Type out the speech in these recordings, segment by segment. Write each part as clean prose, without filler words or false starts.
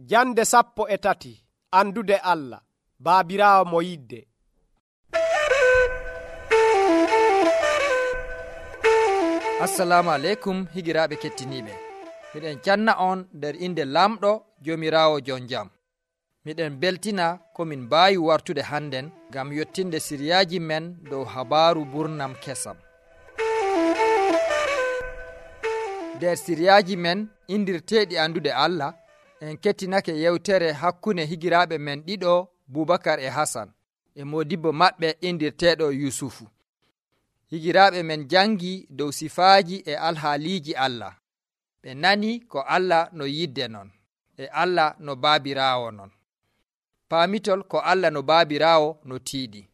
Jande 13 andude Allah baabiraawo mo yidde. Assalamu aleykum higiraaɓe kettiniiɓe. Miɗen canna on nder inde lamɗo Joomiraawo jon jam. Miɗen beltina ko min mbaawi wartude hannden ngam yottinde siriyaaji men dow habaaru burnam kesam. Nder siriyaaji men indirteeɗi andude Allah, en kettinake yewtere hakkunde higiraaɓe men ɗiɗo Bubakar e Hasan e modibbo maɓɓe indirteeɗo Yusufu. Higiraaɓe men jangi dow sifaaji e alhaaliiji Allah. Ɓe nani ko Allah no yidde non, e Allah no baabiraawo non. Paamitol ko Allah no baabiraawo no tiiɗi.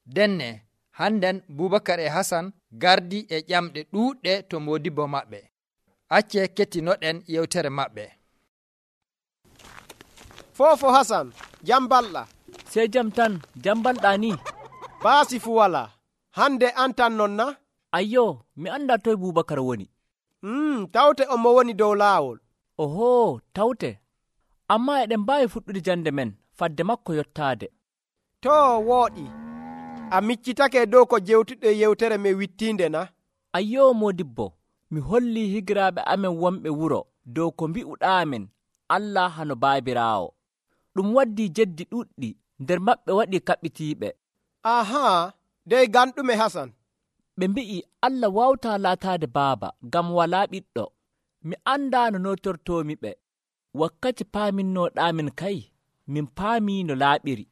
Denne, hannden Bubakar e Hasan gardi e ƴamɗe ɗuuɗɗe to modibbo maɓɓe. Acce kettinoɗen yewtere maɓɓe. Fofo Hasan, jambalɗa. Sey jam tan, jambalɗa ni. Baasi fu wala. Hande an tan non na? Ayyo, mi anda toy Bubakar woni. Tawte o mo woni dow laawol. Oho, tawte. Amma eɗen mbaawi fuɗɗude jande men fadde makko yottaade. To wooɗi. A miccitake dow ko jewtuɗe yewtere me wittiinde na? Ayyo modibbo, mi holli higiraaɓe amen wonɓe wuro dow ko mbi'uɗaamen Allah hano baabiraawo. Ɗum waddi jeddi ɗuɗɗi, nder maɓɓe waɗi kaɓɓitiiɓe. Ahaa, dey ganɗume Hasan? Ɓe mbi'i Allah wawtaa laataade baaba ngam walaa ɓiɗɗo. Mi andaa no notortoomi ɓe. Wakkati paaminnoɗaamin kay, min paamii no laaɓiri.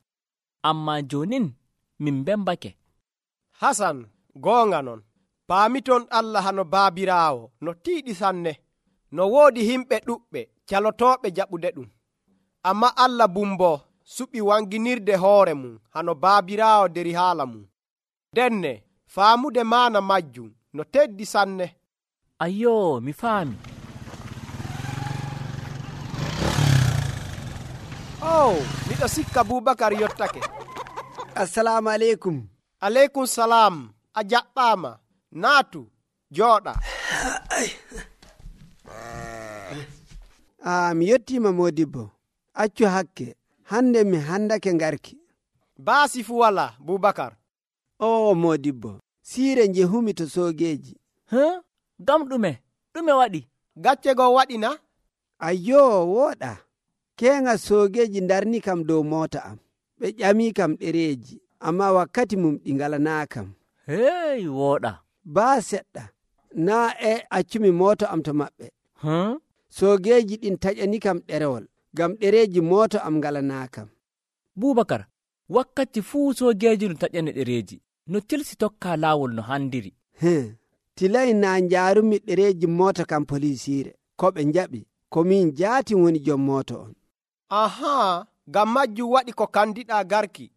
Ammaa joonin min mbembake. Hasan, goonga non. Paamiton Allah hano baabiraawo no tiiɗi sanne. No woodi himɓe ɗuɓɓe calotooɓe jaɓude ɗum. Amma Allah bumbo suɓi wanginirde hoore mum hano baabiraawo deri haala mum. Denne, faamude maana majjum no teddi sanne. Ayyo, mi faami. Miɗo sikka Bubakar yottake. Assalamu aleykum. Aleykum salam. A jaɓɓaama. Naatu, jooɗa. Mi yettima modibbo. Accu hakke. Hande mi handake ngarki. Baasi fu wala, Bubakar. Modibbo. Siire njehumi to soogeeji. Gam ɗume waɗi? Gacce goo waɗi na? Ayyo, wooɗa. Keenga soogeeji darni kam dow moota am. Ɓe ƴamii kam ɗereeji, amma wakkati mum ɗi ngalanaa kam. Hey, wooɗa. Baa seɗɗa, naa accumi mooto am to maɓɓe. Soogeeji ɗin taƴani kam ɗerewol, ngam ɗereeji mooto am ngalanaa kam. Bubakar, wakkati fuu soogeeji no taƴani ɗereeji, no tilsi tokka laawol no handiri. Tilay naa njaarumi ɗereeji moota kam polisiire, ko ɓe njaɓi, ko min jaati woni jom mooto on. Ahaa, ngam majjum waɗi ko kandiɗaa garki.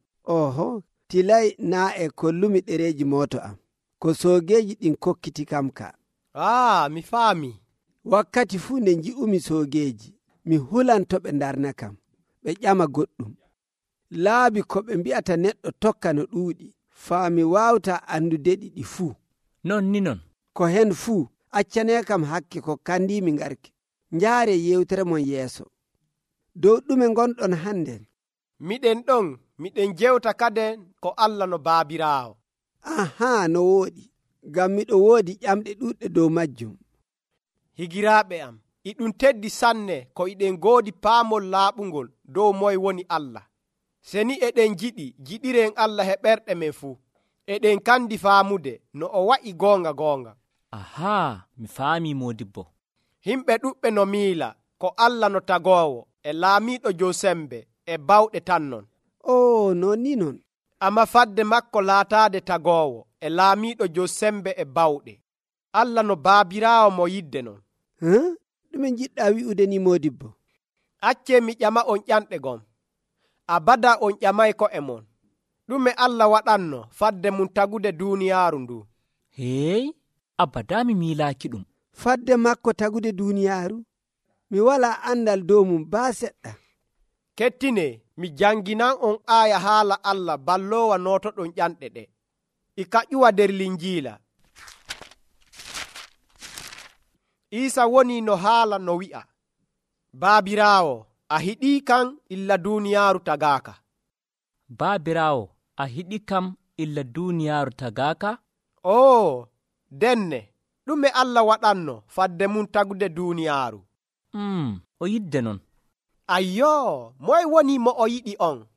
Tilay naa e kollumi ɗereeji mooto am, ko soogeeji ɗin kokkiti kam ka. Mi faami. Wakkati fuu nde nji'umi soogeeji, mi hulanto ɓe ndarna kam, ɓe ƴama goɗɗum. Laabi ko ɓe mbi'ata neɗɗo tokka no ɗuuɗi, faa mi waawta andudeɗi ɗi fuu. Non ni non. Ko hen fuu, accanee kam hakke ko kandiimi ngarki. Njaare yewtere mon yeeso. Dow ɗume ngonɗon hannden? Miɗen jewta kaden ko Allah no baabiraawo. No wooɗi, ngam miɗo woodi ƴamɗe ɗuɗɗe dow majjum. Higiraaɓe am, iɗum teddi sanne ko iɗen goodi paamol laaɓungol dow moye woni Allah. Seni eɗen jiɗiren Allah he ɓerɗe men fuu. Eɗen kandi faamude no o wa'i goonga. Mi faami modibbo. Himɓe ɗuɓɓe no miila ko Allah no tagoowo e laamiiɗo dow sembe e bawɗe tan non. Non ni non. Amma fadde makko laataade tagoowo e laamiiɗo dow sembe e bawɗe. Allah no baabiraawo mo yidde non. Ɗume jiɗɗa wi'ude ni modibbo? Accee mi ƴama on ƴanɗe gom. Abada on ƴamay ko e mon. Ɗume Allah waɗanno fadde mum tagude duuniyaaru ndu? Abada mi miilaaki ɗum. Fadde makko tagude duuniyaaru? Mi walaa andal dow mum baa seɗɗa. Kettine, mi janginan on aaya haala Allah balloowa nootoɗon ƴanɗe ɗe. E ka ƴuwa nder Linjiila. Iisa woni no haala no wi'a, baabiraawo, a hiɗii kan illa duuniyaaru tagaaka. Baabiraawo, a hiɗi kam illa duuniyaaru tagaaka? Oo, denne, ɗume Allah waɗanno fadde mum tagude duuniyaaru? O yidde non. Ayyoo, moye woni mo o yiɗi on?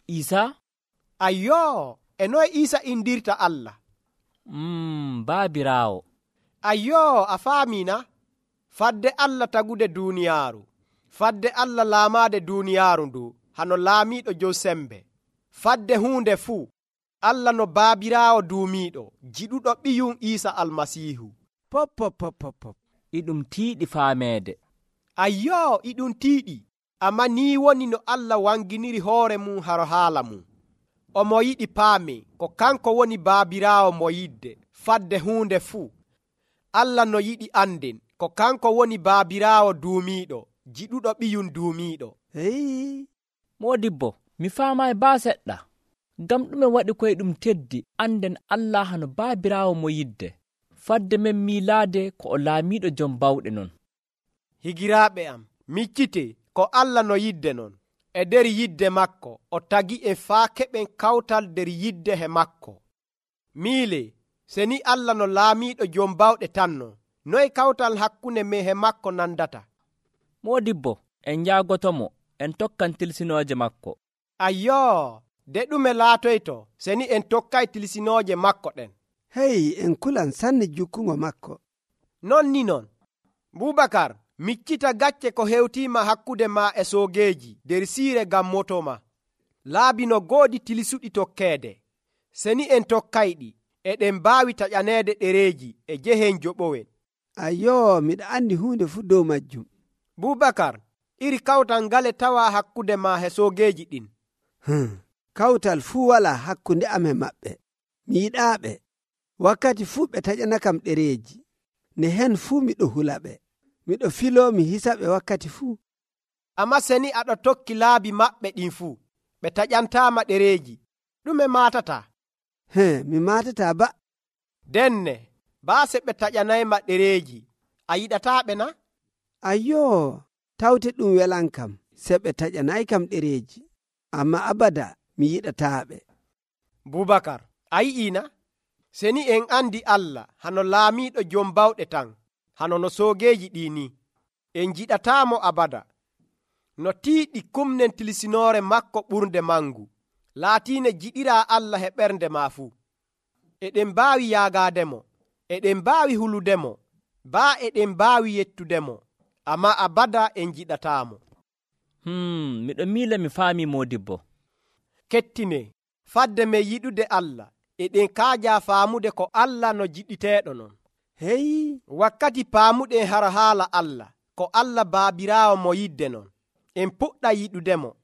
Iisaa? Ayyoo, e noye Iisa indirta Allah? Baabiraawo. Ayyoo, a faamiina? Fadde Allah tagude duuniyaaru. Fadde Allah laamaade duuniyaaru ndu hano laamiiɗo jow sembe. Fadde huunde fuu, Allah no baabiraawo duumiiɗo, jiɗuɗo ɓiyum Iisa Almasiihu. Pop. Iɗum tiiɗi faameede. Ayyoo, iɗum tiiɗi. Amma nii woni no Allah wanginiri hoore mum haro haala mum. Omo yiɗi paame ko kanko woni baabiraawo mo yidde fadde huunde fuu. Allah no yiɗi anden ko kanko woni baabiraawo duumiiɗo, jiɗuɗo ɓiyum duumiiɗo. Moodibbo, mi faamaayi baa seɗɗa. Ngam ɗume waɗi koye ɗum teddi anden Allah hano baabiraawo mo yidde, fadde men miilaade ko o laamiiɗo jom bawɗe non. Higiraaɓe am, miccite ko Allah no yidde non. E nder yidde makko o tagi en faa keɓen kawtal nder yidde he makko. Miile, se ni Allah no laamiiɗo jom bawɗe tanno, noye kawtal hakkunde men he makko nandata? Moodibbo, en njaagotomo, en tokkan tilsinooje makko. Ayyoo, de ɗume laatoyto se ni en tokkay tilsinooje makko ɗen? En kulan sanne jukkugo makko. Non ni non. Bubakar, miccita gacce ko hewtiima hakkude ma e soogeeji nder siire ngam moto ma. Laabi no goodi tilisuɗi tokkeede. Se ni en tokkayɗi, eɗen mbaawi taƴaneede ɗereeji e jehen joɓowen. Ayyoo, miɗa andi huunde fuu dow majjum. Bubakar, iri kawtal ngale tawa hakkude ma he soogeeji ɗin? Kawtal fuu wala hakkunde am e maɓɓe. Mi yiɗaaɓe. Wakkati fuu ɓe taƴana kam ɗereeji. Ne hen fuu miɗo hula ɓe. Miɗo filoo mi hisa ɓe wakkati fuu. Amma se ni aɗo tokki laabi maɓɓe ɗin fuu, ɓe taƴantaama ɗereeji, ɗume maatata? Mi maatata ba. Denne, baase ɓe taƴanayma ɗereeji, a yiɗataaɓe na? Ayyoo, tawte ɗum welan kam, se ɓe taƴanay kam ɗereeji. Amma abada mi yiɗataaɓe. Bubakar, a yi'iina? Se ni en andi Allah hano laamiiɗo jom bawɗe tan, hano no soogeeji ɗii ni, en jiɗataamo abada. No tiiɗi kumnen tilisinoore makko ɓurnde mangu, laatiine jiɗiraa Allah he ɓernde maa fuu. Eɗen mbaawi yaagaademo, eɗen mbaawi huludemo, baa eɗen mbaawi yettudemo, amma abada en jiɗataamo. Miɗo miila mi faami Moodibbo. Kettine, fadde men yiɗude Allah, eɗen kaajaa faamude ko Allah no jiɗiteeɗo non. Wakkati paamuɗen hara haala Allah, ko Allah baabiraawo mo yidde non, en puɗɗa yiɗudemo.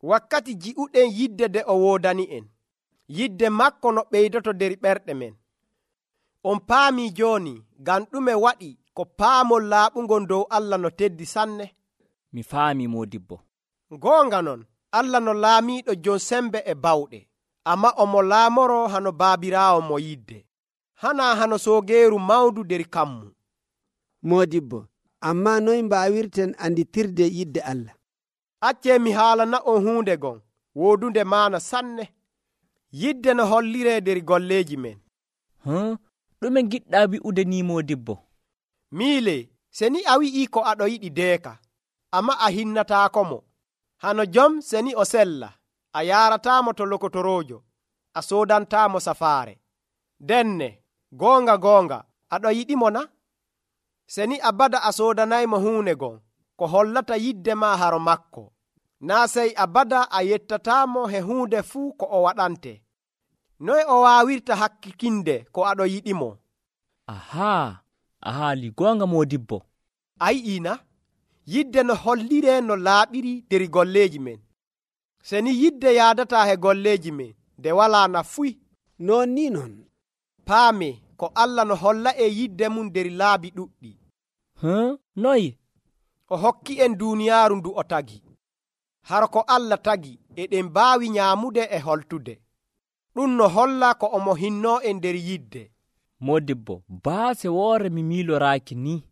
Wakkati ji'uɗen yidde de o woodani en, yidde makko no ɓeydoto nder ɓerɗe men. On paamii jooni ngam ɗume waɗi ko paamol laaɓungol dow Allah no teddi sanne? Mi faami Moodibbo. Goonga non, Allah no laamiiɗo jon sembe e bawɗe, amma omo laamoro hano baabiraawo mo yidde. Hana hano soogeeru mawdu nder kammu. Moodibbo, amma noy mbaawirten anditirde yidde Allah? Accee mi haalana on huunde gon woodunde maana sanne. Yidde no holliree nder golleeji men. Ɗume giɗɗa wi'ude ni Moodibbo? Miile, se ni a wi'ii ko aɗo yiɗi deeka, amma a hinnataako mo. Hano jom se ni o sella, a yaarataamo to lokotoroojo, a soodantaamo safaare. Denne, goonga, aɗo yiɗimo na? Se ni abada a soodanaymo huune gon, ko hollata yidde ma haro makko. Naa sey abada a yettataamo he huunde fuu ko o waɗante. Noy o waawirta hakkikinde ko aɗo yiɗimo? A haali goonga Moodibbo. A yi'iina? Yidde no holliree no laaɓiri nder golleeji men. Se ni yidde yaadataa he golleeji men, nde walaa nafuy. Non ni non. Paame ko Allah no holla e yidde mum nder laabi ɗuɗɗi. Noy? O hokki en duuniyaaru ndu o tagi. Haro ko Allah tagi, eɗen mbaawi nyaamude e holtude. Ɗum no holla ko omo hinnoo en nder yidde. Moodibbo, baase woore mi miiloraaki ni.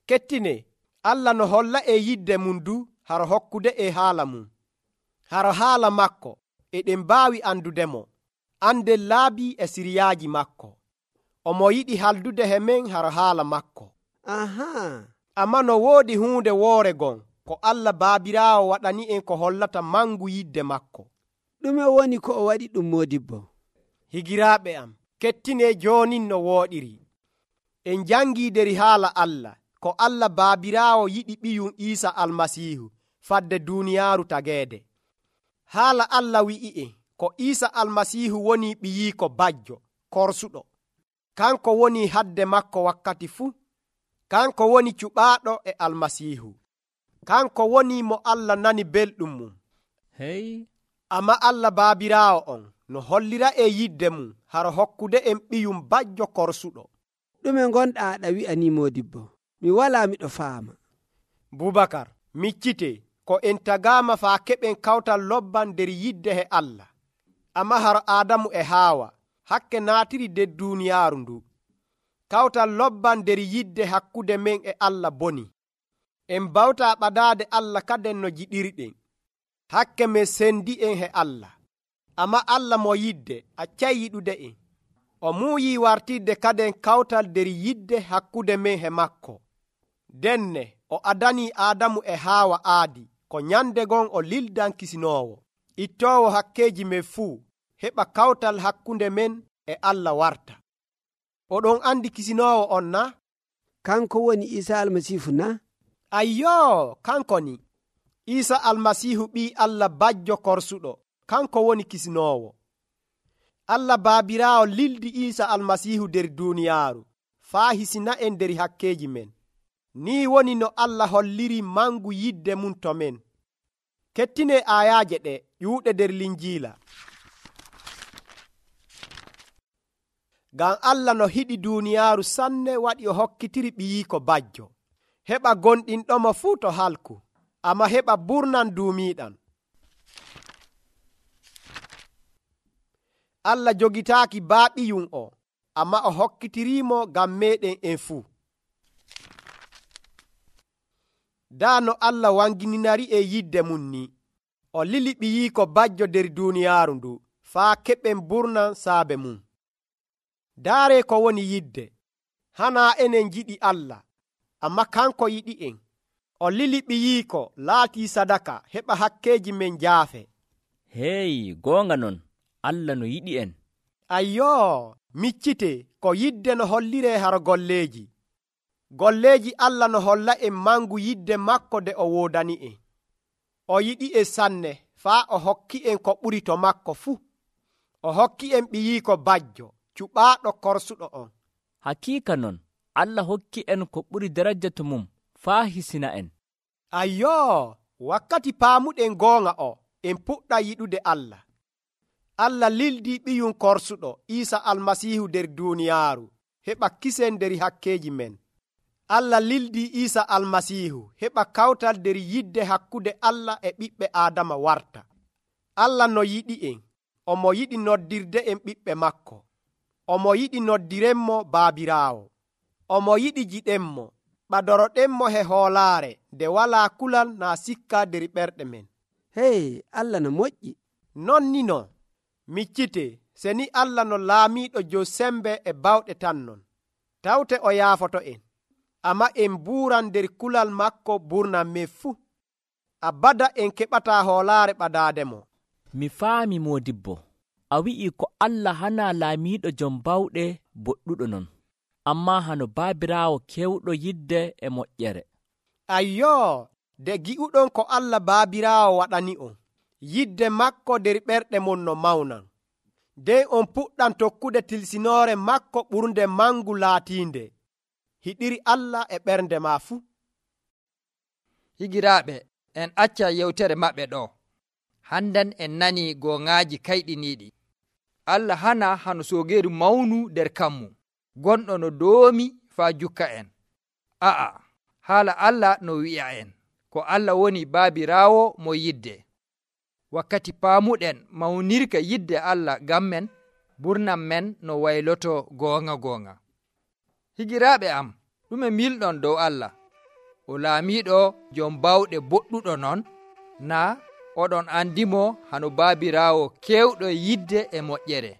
Kettine, Allah no holla e yidde mum du haro hokkude e haala mum. Haro haala makko eɗen mbaawi andudemo, andel laabi e siriyaaji makko. Omo yiɗi haldude he men haro haala makko. Amma no woodi huunde woore gon ko Allah Baabiraawo waɗani en ko hollata mangu yidde makko. ɗume woni ko o waɗi ɗum modibbo? Higiraaɓe am, kettine joonin no wooɗiri. En jangii deri haala Allah ko Allah Baabiraawo yiɗi ɓiyum Iisa Almasiihu fadde duuniyaaru tageede. Haala Allah wi'i'en ko Iisa Almasiihu woni ɓiyiiko bajjo korsuɗo. Kanko woni hadde makko wakkati fuu. Kanko woni cuɓaaɗo e Almasiihu. Kanko woni mo Allah nani belɗum mum. Hey. Amma Allah Baabiraawo on no hollira e yidde mum haro hokkude en ɓiyum bajjo korsuɗo. ɗume gonɗa aɗa wi'a ni modibbo? Mi wala miɗo faama. Bubakar, miccite ko en tagaama faa keɓen kawtal lobban nder yidde he Allah. Amma haro Aadamu e Haawa hakke naatiri nder duuniyaaru ndu. Kawtal lobban nder yidde hakkude men e Allah boni. En bawta ɓadaade Allah kaden no jiɗirɗen. Hakke men sendi en he Allah. Amma Allah mo yidde accay yiɗude en. O muuyi wartirde kaden kawtal nder yidde hakkude men he makko. Denne o adani Aadamu e Haawa aadi ko nyande gon o lildan kisinoowo, ittoowo hakkeji men fuu, heɓa kawtal hakkunde men e Allah warta. Oɗon andi kisinoowo on na? Kanko woni Iisa Almasiihu na? Ayyo, kanko ni. Iisa Almasiihu ɓii Allah bajjo korsuɗo, kanko woni kisinoowo. Allah Baabiraawo lildi Iisa Almasiihu nder duuniyaaru faa hisina en nder hakkeji men. Ni woni no Allah holliri mangu yidde mum to men. Kettine ayaaje ɗe ƴuuɗe nder Linjiila. Ngam Allah no hiɗi duuniyaaru sanne waɗi o hokkitiri ɓiyiiko bajjo, heɓa gonɗinɗomo fuu to halku, amma heɓa burnan duumiiɗan. Allah jogitaaki baaɓiyum o, amma o hokkitirimo ngam meɗen en fuu. Daa no Allah wangininari e yidde mum ni, o lili ɓiyiiko bajjo nder duuniyaaru ndu faa keɓen burnan saabe mum. Daare ko woni yidde. Hana enen jiɗi Allah, amma kanko yiɗi en. O lili ɓiyiiko laatii sadaka heɓa hakkeji men jaafe. Hey, goonga non, Allah no yiɗi en. Ayyo, miccite ko yidde no hollire haro golleeji. Golleeji Allah no holla en mangu yidde makko de o woodani en. O yiɗi en sanne faa o hokki en ko ɓuri to makko fuu. O hokki en ɓiyiiko bajjo, cuɓaaɗo korsuɗo on. Hakiika non, Allah hokki en ko ɓuri daraja to mum faa hisina en. Ayyo, wakkati paamuɗen goonga o, en puɗɗa yiɗude Allah. Allah lildi ɓiyum korsuɗo Iisa Almasiihu nder duuniyaaru heɓa kisen nder hakkeji men. Allah lildi Iisa Almasiihu heɓa kawtal nder yidde hakkude Allah e ɓiɓɓe Aadama warta. Allah no yiɗi en, omo yiɗi noddirde en ɓiɓɓe makko. Omo yiɗi noddirenmo Baabiraawo. Omo yiɗi jiɗenmo, ɓadoroɗenmo he hoolaare nde walaa kulal naa sikka nder ɓerɗe men. Hey, Allah no moƴƴi. Non ni no, miccite, se ni Allah no laamiiɗo jo sembe e bawɗe tan non, tawte o yaafoto en, amma en buuran nder kulal makko burnan men fuu. Abada en keɓataa hoolaare ɓadaademo. Mi faami modibbo, a wi'i ko Allah hana laamiiɗo jom bawɗe boɗɗuɗo non, amma hano Baabiraawo kewɗo yidde e moƴƴere. Ayyo, de gi'uɗon ko Allah Baabiraawo waɗani on, yidde makko nder ɓerɗe mon no mawnan. Nden on puɗɗan tokkude tilsinoore makko ɓurnde mangu laatiinde. Hiɗiri Allah e ɓernde ma fuu. Higiraaɓe, en acca yewtere maɓɓe ɗo. Hannden en nani goŋaaji kayɗiniiɗi. Allah hana hano soogeeru mawnu nder kammu, gonɗo no doomi faa jukka en. A'a, haala Allah no wi'a en, ko Allah woni Baabiraawo mo yidde. Wakkati paamuɗen mawnirka yidde Allah ngam men, burnan men no wayloto goonga goonga. Higiraaɓe am, ɗume milɗon dow Allah? o laamiiɗo jom bawɗe boɗɗuɗo non, naa oɗon andimo hano baabiraawo kewɗo yidde e moƴƴere.